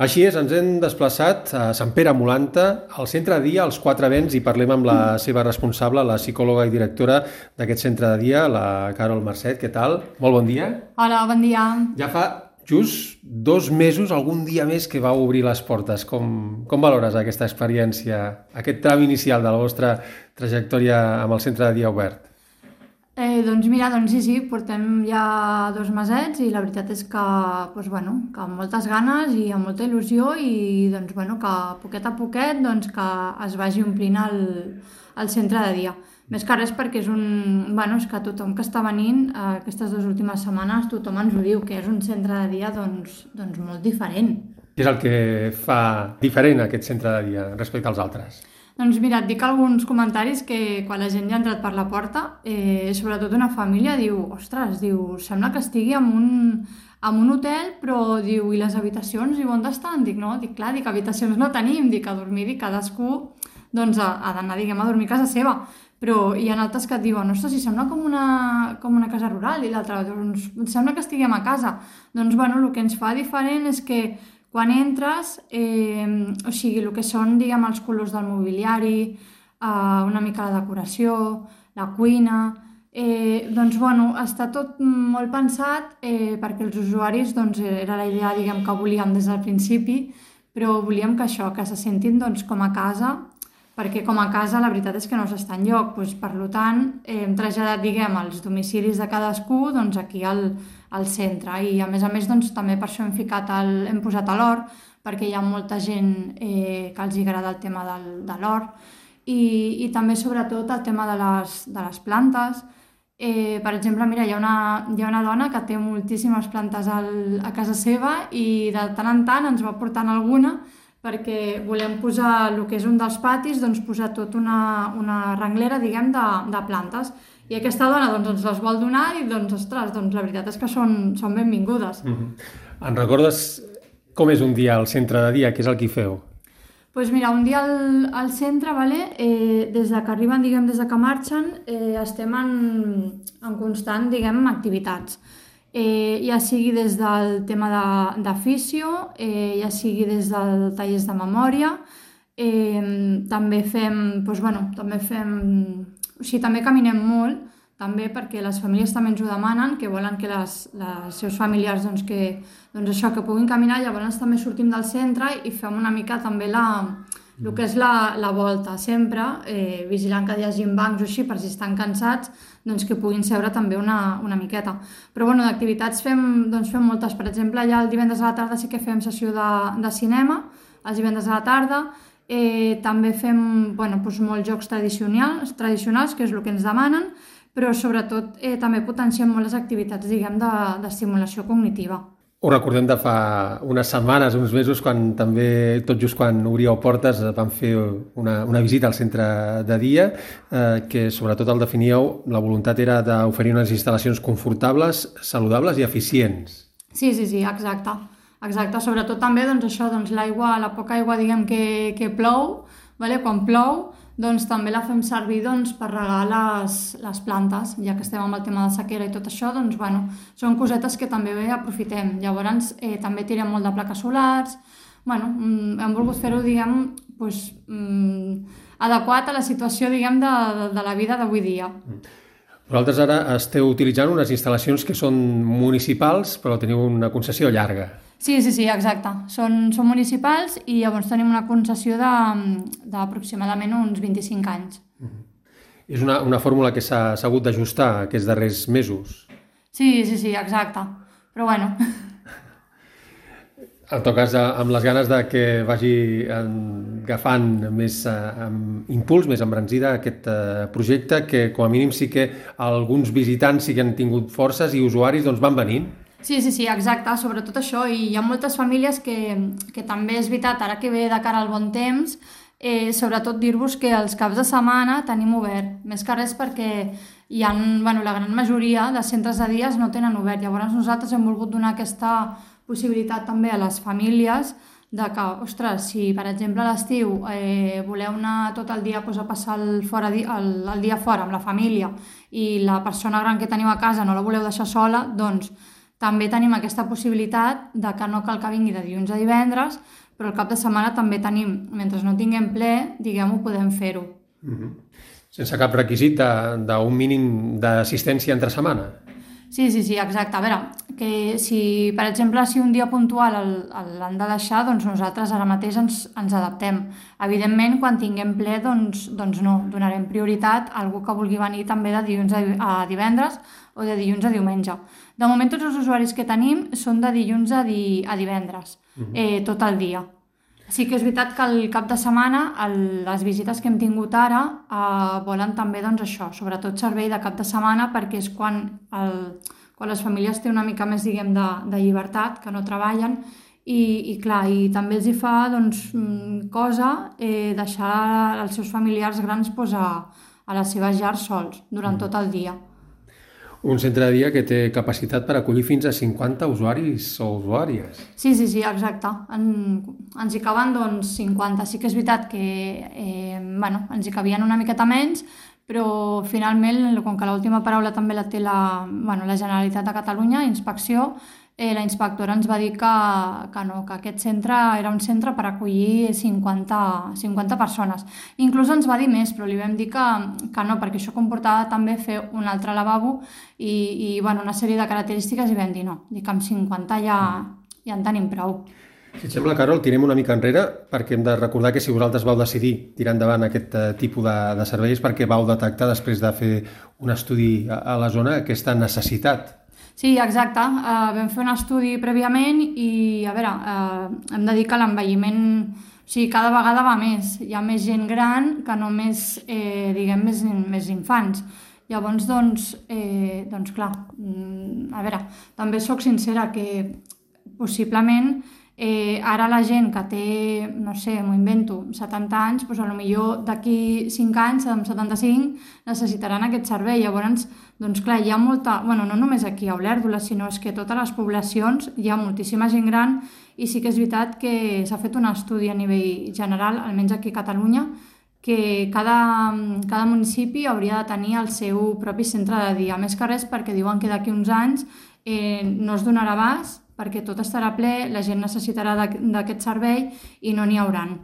Així és, ens hem desplaçat a Sant Pere Molanta, al centre de dia, als Quatre Vents, i parlem amb la seva responsable, la psicòloga i directora d'aquest centre de dia, la Carol Marcet. Què tal? Molt bon dia. Hola, bon dia. Ja fa just 2 mesos, algun dia més, que vau obrir les portes. Com valores aquesta experiència, aquest tram inicial de la vostra trajectòria amb el centre de dia obert? Doncs mira, sí, portem ja 2 mesets i la veritat és que amb moltes ganes i amb molta il·lusió i que poquet a poquet que es vagi omplint el centre de dia. Més que res perquè és que tothom que està venint aquestes 2 últimes setmanes, tothom ens ho diu, que és un centre de dia molt diferent. Què és el que fa diferent aquest centre de dia respecte als altres? Doncs mira, et dic alguns comentaris que quan la gent ja ha entrat per la porta, sobretot una família, diu, ostres, sembla que estigui en un hotel, però diu, i les habitacions, diu, on estan? Dic, habitacions no tenim, dic, a dormir, i cadascú ha d'anar, a dormir a casa seva. Però hi ha altres que et diuen, ostres, si sembla com una casa rural, i l'altra, sembla que estiguem a casa. El que ens fa diferent és que quan entres, el que són, els colors del mobiliari, una mica la decoració, la cuina, està tot molt pensat perquè els usuaris, era la idea, que volíem des del principi, però volíem que se sentin com a casa, perquè com a casa la veritat és que no s'està enlloc. Per tant, hem traslladat, els domicilis de cadascú aquí al centre, i a més també per això hem posat l'hort, perquè hi ha molta gent que els agrada el tema de l'hort, i també sobretot el tema de les plantes. Per exemple, mira, hi ha una dona que té moltíssimes plantes a casa seva i de tant en tant ens va portant alguna, perquè volem posar el que és un dels patis, posar tot una renglera, de plantes. I aquesta dona ens les vol donar i, ostres, la veritat és que són benvingudes. En recordes com és un dia al centre de dia? Què és el que hi feu? Doncs mira, un dia al centre, des que arriben, des que marxen, estem en constant, activitats. Ja sigui des del tema de fisio, ja sigui des del tallers de memòria, també caminem molt, també perquè les famílies també ens ho demanen, que volen que els seus familiars que puguin caminar. Llavors també sortim del centre i fem una mica també el que és la volta, sempre vigilant que hi hagi bancs o així, per si estan cansats, que puguin seure també una miqueta. Però d'activitats fem moltes. Per exemple, ja el divendres a la tarda sí que fem sessió de cinema, els divendres a la tarda. També fem molts jocs tradicionals, que és el que ens demanen, però sobretot també potenciem molt les activitats d'estimulació cognitiva. Ho recordem de fa unes setmanes, uns mesos, quan també, tot just quan obríeu portes, vam fer una visita al centre de dia, que sobretot el definíeu, la voluntat era d'oferir unes instal·lacions confortables, saludables i eficients. Sí, exacte. Sobretot també l'aigua, la poca aigua que plou, quan plou, també la fem servir per regar les plantes, ja que estem amb el tema de sequera i tot això, són cosetes que també aprofitem. Llavors també tirem molt de plaques solars. Hem volgut fer-ho adequat a la situació de la vida d'avui dia. Vosaltres ara esteu utilitzant unes instal·lacions que són municipals, però teniu una concessió llarga. Sí, exacte. Són municipals i llavors tenim una concessió d'aproximadament uns 25 anys. És una fórmula que s'ha hagut d'ajustar aquests darrers mesos. Sí, exacte. Però En tot cas, amb les ganes que vagi agafant més impuls, més embranzida aquest projecte, que com a mínim sí que alguns visitants sí que han tingut forces i usuaris van venint. Sí, exacte, sobretot això, i hi ha moltes famílies que també és veritat, ara que ve de cara al bon temps, sobretot dir-vos que els caps de setmana tenim obert, més que res perquè la gran majoria de centres de dies no tenen obert. Llavors nosaltres hem volgut donar aquesta possibilitat també a les famílies de que, ostres, si per exemple a l'estiu voleu anar tot el dia a passar el dia fora amb la família i la persona gran que teniu a casa no la voleu deixar sola, també tenim aquesta possibilitat de que no cal que vingui de dilluns a divendres, però el cap de setmana també tenim, mentre no tinguem ple, diguem-ho, podem fer-ho. Sense cap requisit d'un mínim d'assistència entre setmana? Sí, exacte. A veure, que si, per exemple, si un dia puntual l'han de deixar, doncs nosaltres ara mateix ens adaptem. Evidentment, quan tinguem ple, doncs no, donarem prioritat a algú que vulgui venir també de dilluns a divendres o de dilluns a diumenge. De moment, tots els usuaris que tenim són de dilluns a divendres, tot el dia. Sí que és veritat que al cap de setmana les visites que hem tingut ara volen també doncs això, sobretot servei de cap de setmana, perquè és quan les famílies té una mica més, diguem, de llibertat, que no treballen, i clar, i també els hi fa doncs, cosa deixar els seus familiars grans a les seves llars sols durant tot el dia. Un centre de dia que té capacitat per acollir fins a 50 usuaris o usuàries. Sí, exacte. Ens hi caben doncs 50. Sí que és veritat que ens hi cabien una miqueta menys, però finalment, com que l'última paraula també la té la Generalitat de Catalunya, Inspecció, la inspectora ens va dir que no, que aquest centre era un centre per acollir 50 persones. Inclús ens va dir més, però li vam dir que no, perquè això comportava també fer un altre lavabo i una sèrie de característiques, i vam dir no, que amb 50 ja en tenim prou. Si et sembla, Carol, tirem una mica enrere, perquè hem de recordar que si vosaltres vau decidir tirar endavant aquest tipus de serveis, perquè vau detectar, després de fer un estudi a la zona, aquesta necessitat. Sí, exacte. Vam fer un estudi prèviament i, a veure, hem de dir que l'envelliment, cada vegada va més. Hi ha més gent gran que només, diguem, més infants. Llavors, doncs clar, a veure, també sóc sincera que possiblement ara la gent que té, no sé, m'ho invento, 70 anys, doncs potser d'aquí 5 anys, amb 75, necessitaran aquest servei. Llavors, doncs clar, hi ha molta, no només aquí a Olèrdola, sinó que a totes les poblacions hi ha moltíssima gent gran, i sí que és veritat que s'ha fet un estudi a nivell general, almenys aquí a Catalunya, que cada municipi hauria de tenir el seu propi centre de dia. Més que res perquè diuen que d'aquí uns anys no es donarà abast, perquè tot estarà ple, la gent necessitarà d'aquest servei i no n'hi hauran.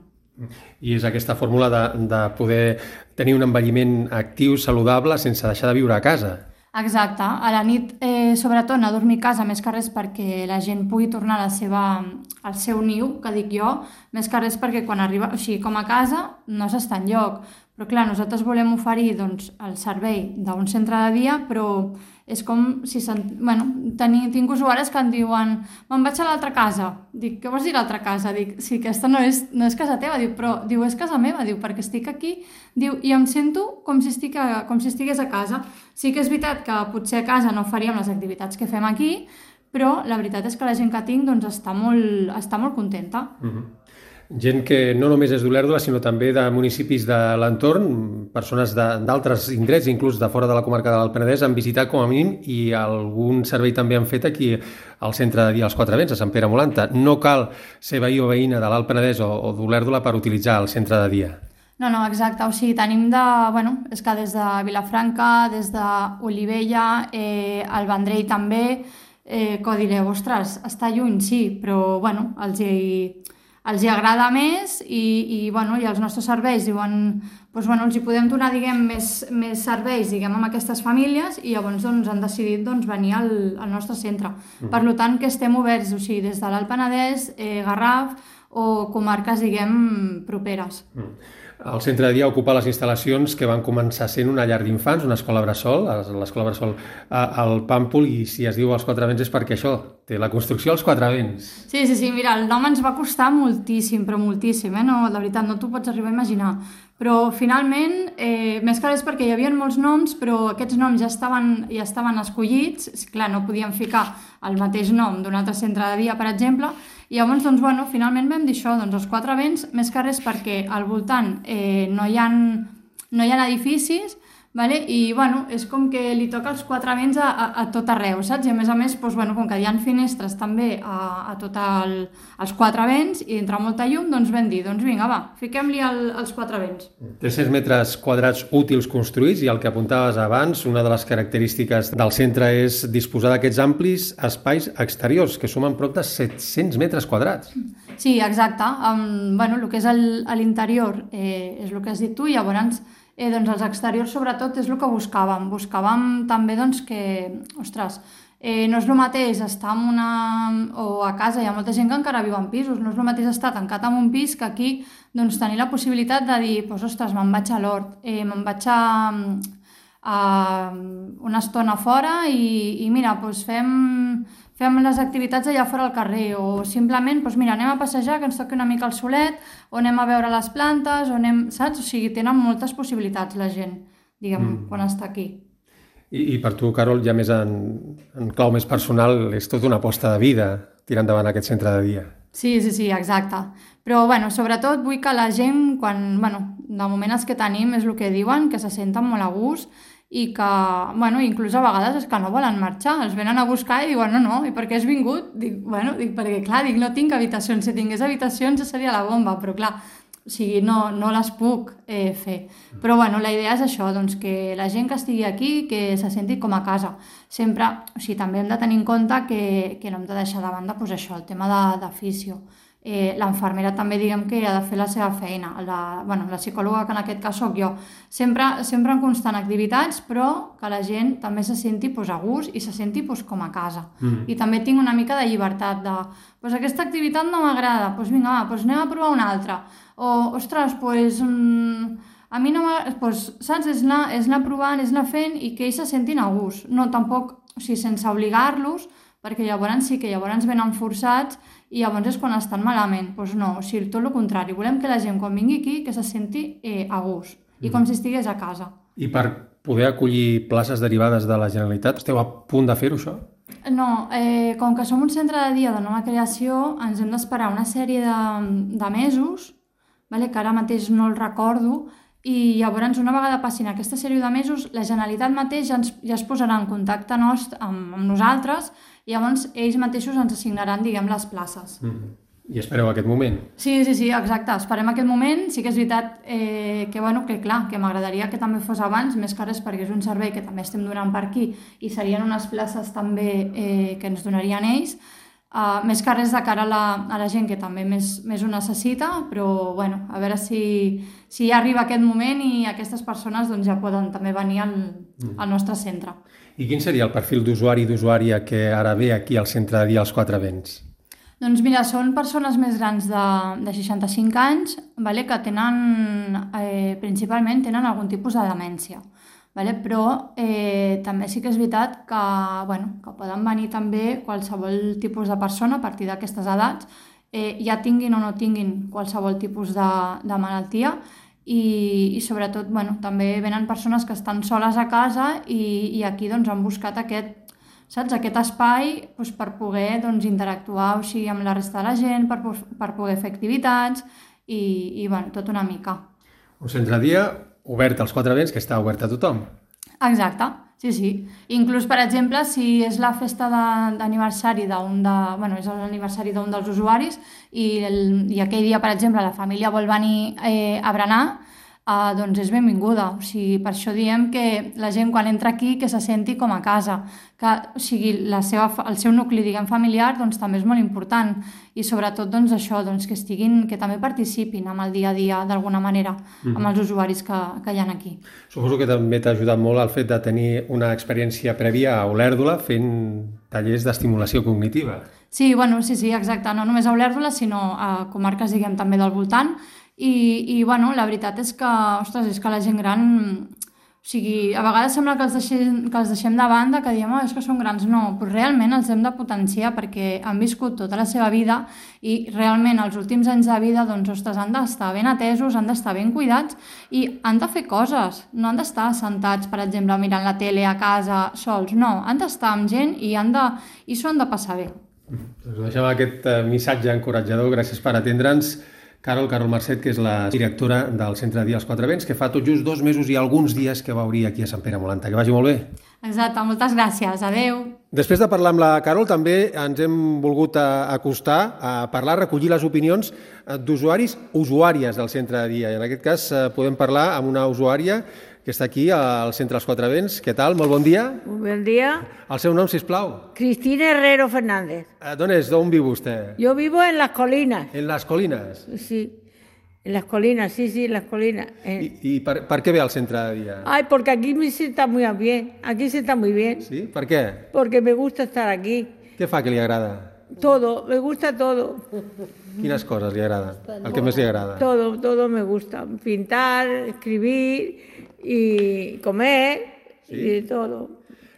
I és aquesta fórmula de poder tenir un envelliment actiu, saludable, sense deixar de viure a casa. Exacte. A la nit, sobretot, anar a dormir a casa, més que res perquè la gent pugui tornar al seu niu, que dic jo, més que res perquè quan arriba, com a casa, no s'està enlloc. Però clar, nosaltres volem oferir el servei d'un centre de dia, però és com si... tinc usuaris que em diuen me'n vaig a l'altra casa. Dic, què vols dir l'altra casa? Dic, sí, aquesta no és casa teva. Diu, és casa meva, perquè estic aquí. Diu, i em sento com si estigués a casa. Sí que és veritat que potser a casa no faríem les activitats que fem aquí, però la veritat és que la gent que tinc està molt contenta. Gent que no només és d'Olèrdola, sinó també de municipis de l'entorn, persones d'altres indrets, inclús de fora de la comarca de l'Alt Penedès, han visitat com a mínim, i algun servei també han fet aquí al centre de dia als Quatre Vents, a Sant Pere Molanta. No cal ser veí o veïna de l'Alt Penedès o d'Olèrdola per utilitzar el centre de dia. No, exacte. Tenim és que des de Vilafranca, des d'Olivella, el Vendrell també, que direu, ostres, està lluny, sí, però els hi agrada més i els nostres serveis diuen, els hi podem donar, diguem, més serveis, diguem, amb aquestes famílies, i llavors han decidit venir al nostre centre. Per tant, que estem oberts, des de l'Alt Penedès, Garraf o comarques, diguem, properes. El centre de dia ocupa les instal·lacions que van començar sent una llar d'infants, una escola bressol, l'escola bressol al Pàmpol, i si es diu als Quatre Vents és perquè això, té la construcció als Quatre Vents. Sí, mira, el nom ens va costar moltíssim, però moltíssim, no, de veritat, no t'ho pots arribar a imaginar. Però finalment, més que res perquè hi havia molts noms, però aquests noms ja estaven escollits, clar, no podíem ficar el mateix nom d'un altre centre de dia, per exemple, i llavors, finalment vam dir això, els Quatre Vents, més que res perquè al voltant no hi ha edificis, vale? I bueno, és com que li toca els quatre vents a tot arreu, saps? I a més, doncs, bueno, com que hi ha finestres també a tot els quatre vents i entra molta llum, doncs vam dir, doncs vinga, va, fiquem-li els quatre vents. 300 metres quadrats útils construïts i el que apuntaves abans, una de les característiques del centre és disposar d'aquests amplis espais exteriors, que sumen prop de 700 metres quadrats. Sí, exacte. Bueno, el que és l'interior és el que has dit tu, i llavors doncs els exteriors sobretot és el que buscàvem. Buscàvem també doncs, que, ostres, no és el mateix estar en o a casa, hi ha molta gent que encara viu en pisos, no és el mateix estar tancat en un pis que aquí doncs, tenir la possibilitat de dir, doncs, ostres, me'n vaig a l'hort, me'n vaig a una estona fora i mira, doncs fem les activitats allà fora al carrer, o simplement, doncs mira, anem a passejar, que ens toqui una mica el solet, o anem a veure les plantes, o anem, saps? O sigui, tenen moltes possibilitats la gent, diguem, quan està aquí. I per tu, Carol, ja més en clau més personal, és tota una aposta de vida tirar endavant aquest centre de dia. Sí, exacte. Però, bueno, sobretot vull que la gent, quan, bueno, de moment els que tenim és el que diuen, que se senten molt a gust, i que, bueno, inclús a vegades és que no volen marxar, els venen a buscar i diuen no, i per què has vingut? Dic, bueno, perquè clar, no tinc habitacions, si tingués habitacions ja seria la bomba, però clar, o sigui, no les puc fer. Però bueno, la idea és això, doncs que la gent que estigui aquí, que se senti com a casa. Sempre, o sigui, també hem de tenir en compte que no hem de deixar de banda doncs això, el tema d'afició. L'infermera també diguem que ha de fer la seva feina, la psicòloga, que en aquest cas soc jo, sempre en constant activitats, però que la gent també se senti a gust i se senti com a casa. I també tinc una mica de llibertat de, aquesta activitat no m'agrada, vinga, va, anem a provar una altra, o ostres, a mi no m'agrada, saps, és anar provant, és anar fent i que ells se sentin a gust, no tampoc, o sigui, sense obligar-los, perquè llavors sí que venen forçats i llavors és quan estan malament. Doncs no, o sigui, tot el contrari. Volem que la gent, quan vingui aquí, que se senti a gust i com si estigués a casa. I per poder acollir places derivades de la Generalitat, esteu a punt de fer-ho, això? No, com que som un centre de dia de nova creació, ens hem d'esperar una sèrie de mesos, que ara mateix no el recordo, i llavors una vegada passin aquesta sèrie de mesos, la Generalitat mateix ja es posarà en contacte amb nosaltres i llavors ells mateixos ens assignaran, diguem, les places. I espereu aquest moment? Sí, exacte, esperem aquest moment. Sí que és veritat que m'agradaria que també fos abans, més que res perquè és un servei que també estem donant per aquí i serien unes places també que ens donarien ells, més que res de cara a la gent que també més ho necessita, però bueno, a veure si ja arriba aquest moment i aquestes persones doncs, ja poden també venir al nostre centre. I quin seria el perfil d'usuari i d'usuària que ara ve aquí al centre de dia als Quatre Vents? Doncs mira, són persones més grans de 65 anys, que principalment tenen algun tipus de demència. Però també sí que és veritat que poden venir també qualsevol tipus de persona a partir d'aquestes edats, ja tinguin o no tinguin qualsevol tipus de malaltia i sobretot també venen persones que estan soles a casa i aquí han buscat aquest espai per poder interactuar amb la resta de la gent, per poder fer activitats i tot una mica. Un centre de dia obert als Quatre Vents, que està obert a tothom. Exacte, sí. Inclús, per exemple, si és la festa d'aniversari és l'aniversari d'un dels usuaris i aquell dia, per exemple, la família vol venir a berenar, doncs és benvinguda. O sigui, per això diem que la gent quan entra aquí que se senti com a casa, que o sigui, el seu nucli, diguem, familiar doncs, també és molt important i sobretot això, que també participin amb el dia a dia d'alguna manera amb els usuaris que hi ha aquí. Suposo que també t'ha ajudat molt el fet de tenir una experiència prèvia a Olèrdola fent tallers d'estimulació cognitiva. Sí, sí, exacte, no només a Olèrdola sinó a comarques, diguem, també del voltant. I la veritat és que, és que la gent gran, o sigui, a vegades sembla que els deixem de banda, que diem, és que són grans, no, però realment els hem de potenciar perquè han viscut tota la seva vida i realment els últims anys de vida, han d'estar ben atesos, han d'estar ben cuidats i han de fer coses, no han d'estar sentats, per exemple, mirant la tele a casa sols, no, han d'estar amb gent i s'ho han de passar bé. Doncs deixem aquest missatge encoratjador, gràcies per atendre'ns. Carol Marcet, que és la directora del Centre de Dia als Quatre Vents, que fa tot just 2 mesos i alguns dies que va obrir aquí a Sant Pere Molanta. Que vagi molt bé. Exacte, moltes gràcies. Adeu. Després de parlar amb la Carol, també ens hem volgut acostar a parlar, a recollir les opinions d'usuaris, usuàries del Centre de Dia. I en aquest cas podem parlar amb una usuària que està aquí al Centre dels Quatre Vents. Què tal? Molt bon dia. Buen día. El seu nom, sisplau. Cristina Herrero Fernández. D'on és? D'on viu vostè? Yo vivo en las colinas. En les Colinas. Sí, en las colinas, sí, en las colinas. I per què ve al Centre de Dia? Ay, porque aquí se está muy bien. Aquí se está muy bien. Sí? Per què? Porque me gusta estar aquí. Què fa que li agrada? Todo, me gusta todo. Quines coses li agrada? El que més li agrada? Todo me gusta. Pintar, escribir y comer y todo.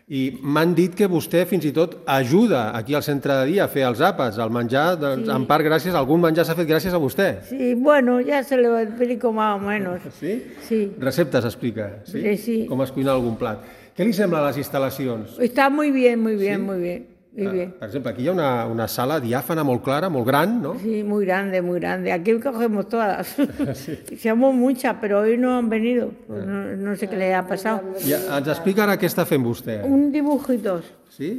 I m'han dit que vostè fins i tot ajuda aquí al Centre de Dia a fer els àpats, el menjar, doncs, en part gràcies, algun menjar s'ha fet gràcies a vostè. Sí, bueno, ya se lo explico más o menos. Sí? Sí. Receptes explica, sí? Sí. Com es cuina algun plat. Què li sembla les instal·lacions? Está muy bien, muy bien, Sí? muy bien. Muy bien. Per exemple, aquí hi ha una sala diàfana molt clara, molt gran, no? Sí, muy grande, muy grande. Aquí cogemos todas. Somos muchas, pero hoy no han venido. Pues no sé qué les ha pasado. I ens explica ara què està fent vostè. Un dibujitos, Sí?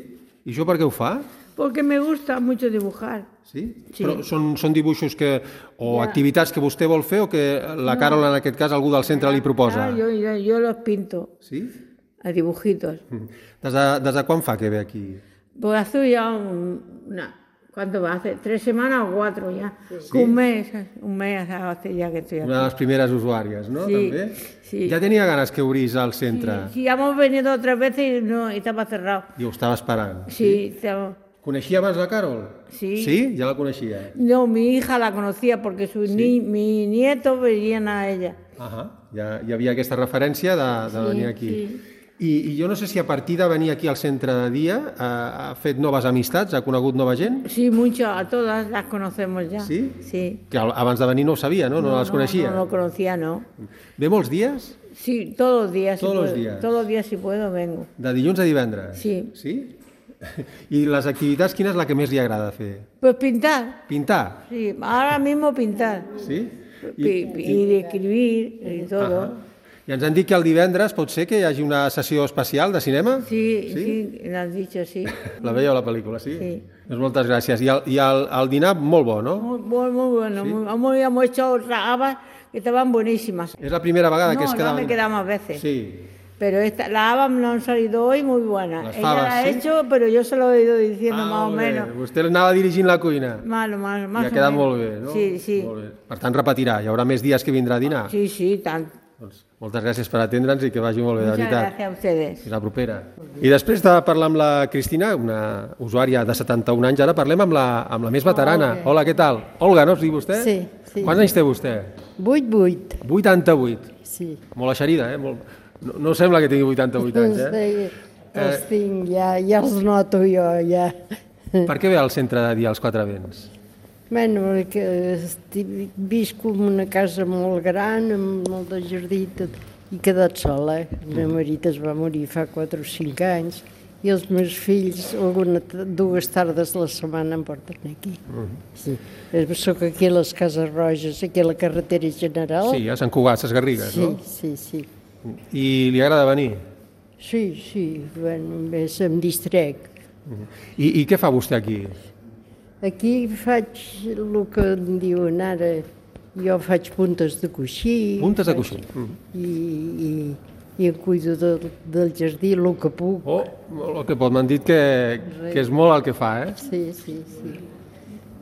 I això per què ho fa? porque me gusta mucho dibujar. Sí? Sí. Però són dibuixos o activitats que vostè vol fer o que la Carol, en aquest cas, algú del centre li proposa? Ah, yo los pinto Sí? a dibujitos. Des de quan fa que ve aquí? Pues hace ya ¿cuánto va? Hace 3 semanas o 4 ya. Un mes hace ya que estoy aquí. Una de les primeres usuàries, no? Sí, També? sí. Ja tenia ganes que obrís el centre Sí, hemos venido 3 veces y no, estaba cerrado. i ho estava esperant. Sí, estaba... Coneixia abans la Carol? Sí. Sí? Ja la coneixia. No, mi hija la conocía porque mi nieto venían a ella. Ja hi havia aquesta referència de venir aquí. sí. I jo no sé si a partir de venir aquí al Centre de Dia ha fet noves amistats, ha conegut nova gent? Sí, mucho, a todas las conocemos ya. Sí? Sí. Que abans de venir no ho sabia, no? No les coneixia. No lo conocía, no. Ve molts dies? Sí, todos los días. Todos si los puedo. días. Todos los días si puedo vengo. De dilluns a divendres? Sí. Sí? I les activitats, quina és la que més li agrada fer? Pues pintar. Pintar? Sí, ahora mismo pintar. Sí? Y escribir y todo. I ens han dit que el divendres pot ser que hi hagi una sessió especial de cinema? Sí, lo has dicho, sí. La veieu, la pel·lícula, sí? Sí. Doncs moltes gràcies. I el dinar, molt bo, no? Muy bueno. Sí. Hemos hecho otras habas que estaban buenísimas. És la primera vegada que es No quedaven... me queda más veces. Sí. Pero las habas no han salido hoy muy buenas. Las Ella fabas, la ha ¿sí? hecho, pero yo se lo he ido diciendo más o molt bé. menos. Vostè anava dirigint la cuina. Más I ha o quedat menos. molt bé, no? Sí. Molt bé. Per tant, repetirà. Hi haurà més dies que vindrà a dinar. Sí, tanto. Doncs moltes gràcies per atendre'ns i que vagi molt bé, de Muchas veritat. gracias a ustedes. Fins la propera. I després de parlar amb la Cristina, una usuària de 71 anys, ara parlem amb la més veterana. Hola, què tal? Olga, no es diu vostè? Sí, sí. Quants anys té vostè? 8. 88. Sí. Molt eixerida, eh? No sembla que tingui 88 anys, eh? Els tinc, ja els noto jo, ja. Per què ve al Centre de Dia als Quatre Vents? Bueno, perquè visco en una casa molt gran, amb molt de jardí i tot, i he quedat sola. El meu marit es va morir fa 4 o 5 anys, i els meus fills 2 tardes a la setmana em porten aquí. Sí. Soc aquí a les Cases Roges, aquí a la carretera general. Sí, a Sant Cugat, Ses Garrigues, no? Sí. I li agrada venir? Sí, bueno, més em distrec. I què fa vostè aquí? Aquí faig el que en diuen ara, jo faig puntes de coixí. Puntes de coixí. I em cuido del jardí el que puc. Oh, el que pot, m'han dit que és molt el que fa, eh? Sí.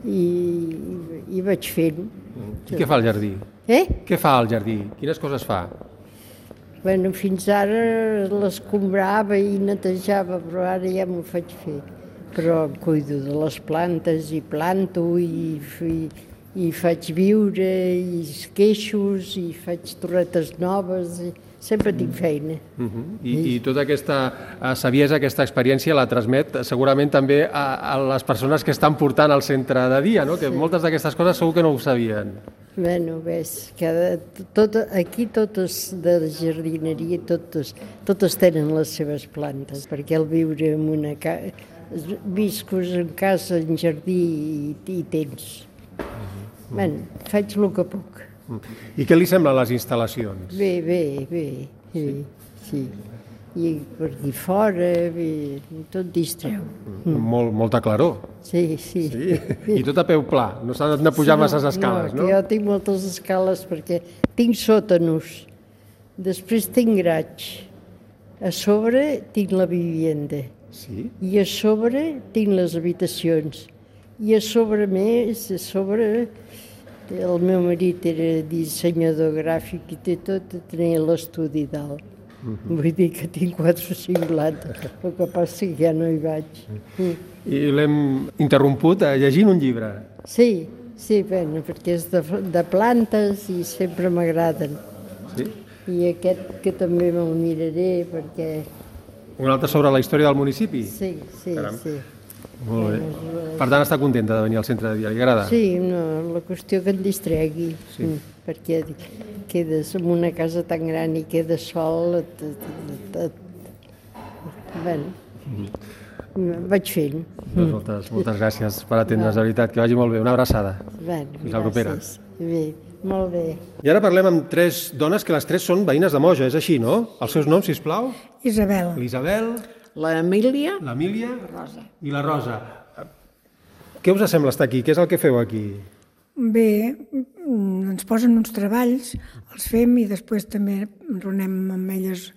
I vaig fent. I què fa al jardí? Què fa al jardí? Quines coses fa? Bueno, fins ara l'escombrava i netejava, però ara ja m'ho faig fer. Però em cuido de les plantes i planto i faig viure i esqueixos i faig torretes noves i sempre tinc feina. I tota aquesta saviesa, aquesta experiència la transmet segurament també a les persones que estan portant al centre de dia, no? Que moltes d'aquestes coses segur que no ho sabien. Bueno, ves, aquí totes de la jardineria, totes tenen les seves plantes, perquè el viure en una casa, viscos en casa, en jardí i tens. Bé, faig el que puc. I què li semblen les instal·lacions? Bé, sí. I per aquí fora, bé, tot distreu. Molta claror. Sí. I tot a peu pla, no s'ha de pujar masses escales, no? No, jo tinc moltes escales perquè tinc sòtanos, després tinc graig, a sobre tinc la vivienda, Sí? i a sobre tinc les habitacions, i a sobre més, el meu marit era dissenyador gràfic i té tot, tenia l'estudi dalt. Vull dir que tinc 4 o 5 plantes, el que passa que ja no hi vaig. I l'hem interromput llegint un llibre. Sí, bueno, perquè és de plantes i sempre m'agraden. Sí? I aquest que també me'l miraré perquè... Un altre sobre la història del municipi? Sí. Molt bé. Per tant, està contenta de venir al centre de dia, li agrada? Sí, no, la qüestió que et distregui, perquè quedes en una casa tan gran i quedes sol, vaig fent. Moltes gràcies per atendre's, de veritat, que vagi molt bé. Una abraçada. Fins la propera. Bé, molt bé. I ara parlem amb 3 dones, que les 3 són veïnes de Moja, és així, no? Els seus noms, sisplau? Isabel. L'Isabel, L'Emília, l'Emília i la Rosa. Què us sembla estar aquí? Què és el que feu aquí? Bé, ens posen uns treballs, els fem i després també enronem amb elles,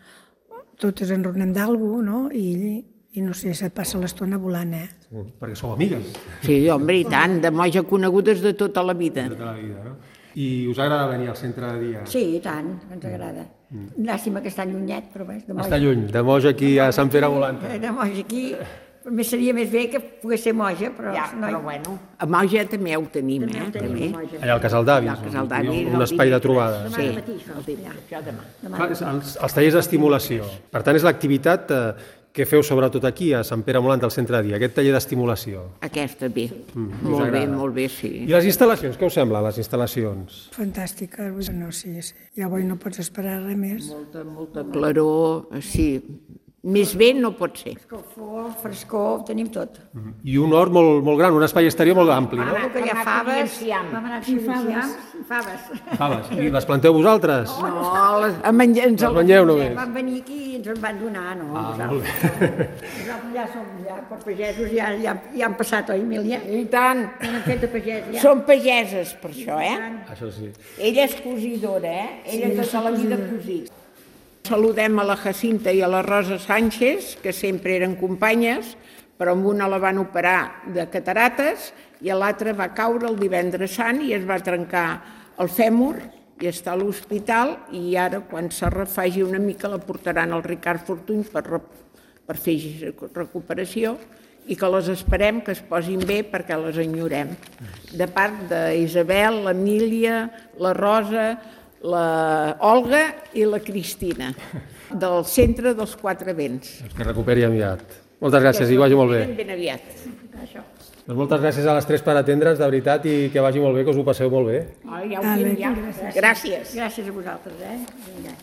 totes enronem d'algú, no? I no sé, se't passa l'estona volant, Perquè sou amigues. sí, home, i tant, de Moja conegudes de tota la vida. Tota la vida, no? I us agrada venir al centre de dia? Sí, i tant, ens agrada. Llàstima que està llunyet, però bé, de Moja. Està lluny, de Moja aquí a Sant Pere Volanta. De Moja aquí, més seria més bé que pogués ser Moja, però... Ja, però bueno, a Moja també ho tenim, també. Allà al Casal d'Avis, Allà al Casal d'Avis, un espai de trobada. Sí, Això demà. Clar, els tallers d'estimulació. Per tant, és l'activitat que feu sobretot aquí, a Sant Pere Molant, al centre de dia, aquest taller d'estimulació. aquesta bé. us agrada. Molt bé, sí. I les instal·lacions, què us sembla, les instal·lacions? Fantàstica, no, sí. Ja avui no pots esperar res més. Molta claror, sí. Més bé no pot ser. Escalfor, frescor, tenim tot. I un hort molt gran, un espai exterior molt ampli, no? Que hi ha faves, vam anar a faves. faves. Faves. I les planteu vosaltres? No, a menjar ens Les mengeu només? Van venir aquí i ens en van donar, no? Molt bé. Nosaltres ja som per pagesos, ja han passat, oi, Emília? I tant. Han fet de pagès, ja. Som pageses, per això, Això sí. Ella és cosidora, Ella tota la vida cosí. Saludem a la Jacinta i a la Rosa Sánchez, que sempre eren companyes, però amb una la van operar de catarates i l'altra va caure el divendres sant i es va trencar el fèmur i està a l'hospital i ara, quan se refagi una mica, la portaran al Ricard Fortuny per fer recuperació i que les esperem que es posin bé perquè les enyorem. De part d'Isabel, l'Emília, la Rosa, la Olga i la Cristina, del centre dels 4 vents. Que recuperi aviat. Moltes gràcies i que vagi molt bé. Ben aviat. Doncs moltes gràcies a les 3 per atendre'ns, de veritat, i que vagi molt bé, que us ho passeu molt bé. Ja ho tinc, ja. Gràcies. Gràcies a vosaltres, Vinga.